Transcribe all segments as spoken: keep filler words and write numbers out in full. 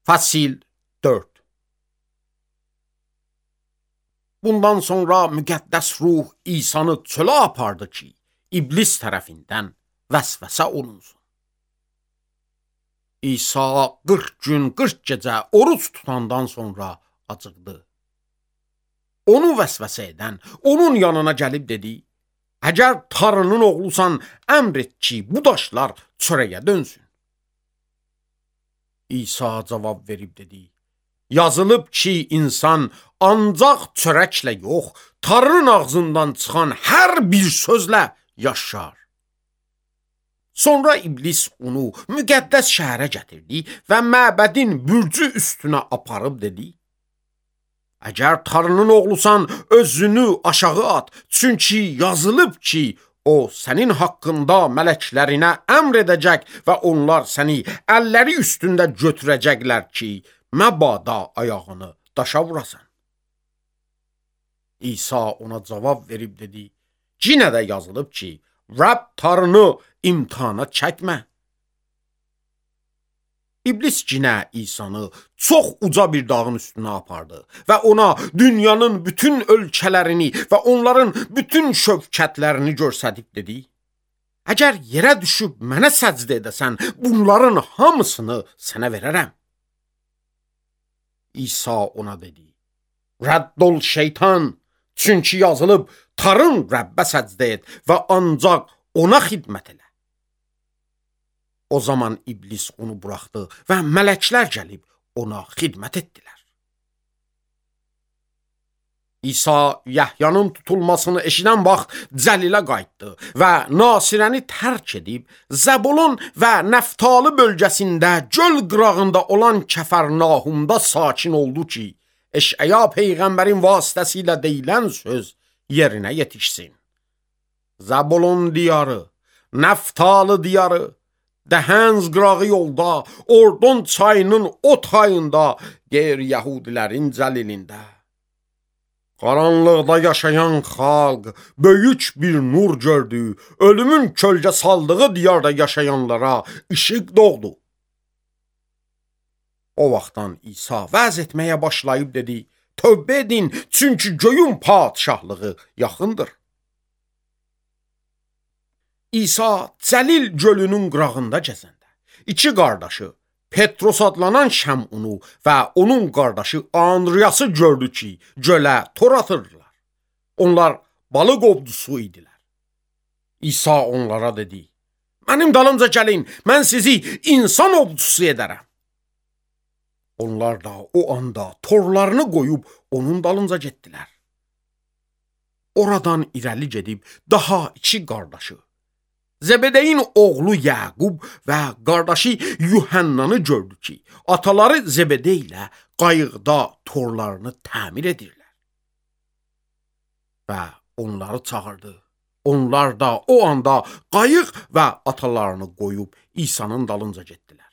Fasil dörd. Bundan sonra müqəddəs ruh İsanı çölə apardı ki, iblis tərəfindən vəsvəsə olunsun. İsa qırx gün, qırx gecə oruç tutandan sonra acıqdı. Onu vəsvəsə edən onun yanına gəlib dedi: "Əgər Tanrının oğlusan, əmr et ki, bu daşlar çörəyə dönsün." İsa cavab verib dedi: "Yazılıb ki, insan ancaq çörəklə yox, Tanrının ağzından çıxan hər bir sözlə yaşar." Sonra iblis onu müqəddəs şəhərə gətirdi və məbədin bürcü üstünə aparıb dedi: "Əgər Tanrının oğlusan, özünü aşağı at, çünki yazılıb ki, o sənin haqqında mələklərinə əmr edəcək və onlar səni əlləri üstündə götürəcəklər ki, məbada ayağını daşa vurasan." İsa ona cavab verib dedi: "Yenə də yazılıb ki, Rəbb Tanrını imtihana çəkmə." İblis yenə İsanı çox uca bir dağın üstünə apardı və ona dünyanın bütün ölkələrini və onların bütün şövkətlərini göstərib dedi: "Əgər yerə düşüb mənə səcdə edəsən, bunların hamısını sənə verərəm." İsa ona dedi: "Rədd ol şeytan, çünki yazılıb, Tanrın Rəbbə səcdə et və ancaq ona xidmət elə." O zaman iblis onu buraxdı və mələklər gəlib ona xidmət etdilər. İsa Yəhyanın tutulmasını eşidən vaxt Cəlilə qayıtdı və Nasirəni tərk edib Zəbulun və Nəftali bölgəsində göl qırağında olan Kəfərnahumda sakin oldu ki, Eşaya peyğəmbərin vasitəsilə deyilən söz yerinə yetişsin. Zəbulun diyarı, Nəftali diyarı, Dəhənz qırağı yolda, Ordon çayının o tayında, qeyri-yəhudilərin cəlilində. Qaranlıqda yaşayan xalq böyük bir nur gördü, ölümün kölgə saldığı diyarda yaşayanlara işıq doğdu. O vaxtdan İsa vəz etməyə başlayıb dedi: "Tövbə edin, çünki göyün padşahlığı yaxındır." İsa Cəlil gölünün qırağında gəzəndə iki qardaşı, Petros adlanan Şəmunu və onun qardaşı Andriyası gördü ki, gölə tor atırdılar. Onlar balıq ovcusu idilər. İsa onlara dedi: "Mənim dalımca gəlin, mən sizi insan ovcusu edərəm." Onlar da o anda torlarını qoyub onun dalınca getdilər. Oradan irəli gedib daha iki qardaşı, Zəbədeyin oğlu Yaqub və qardaşı Yuhannanı gördü ki, ataları Zəbədə ilə qayıqda torlarını təmir edirlər. Və onları çağırdı. Onlar da o anda qayıq və atalarını qoyub İsa'nın dalınca getdilər.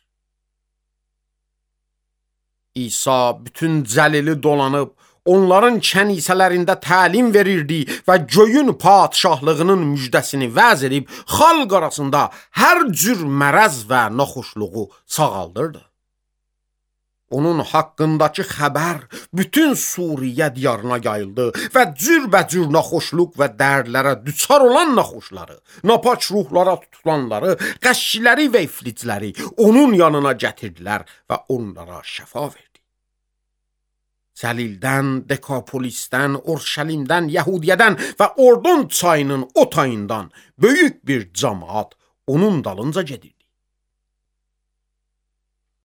İsa bütün Cəlili dolanıb, onların kənisələrində təlim verirdi və göyün padşahlığının müjdəsini vəz edib, xalq arasında hər cür mərəz və naxoşluğu sağaldırdı. Onun haqqındakı xəbər bütün Suriyə diyarına yayıldı və cürbəcür naxoşluq və dərdlərə düçar olan naxoşları, napaç ruhlara tutulanları, qəşçiləri və iflicləri onun yanına gətirdilər və onlara şəfa verdi. Cəlildən, Dekapolisdən, Orşəlimdən, Yəhudiyədən və Ordon çayının o tayından böyük bir cəmaət onun dalınca gedirdi.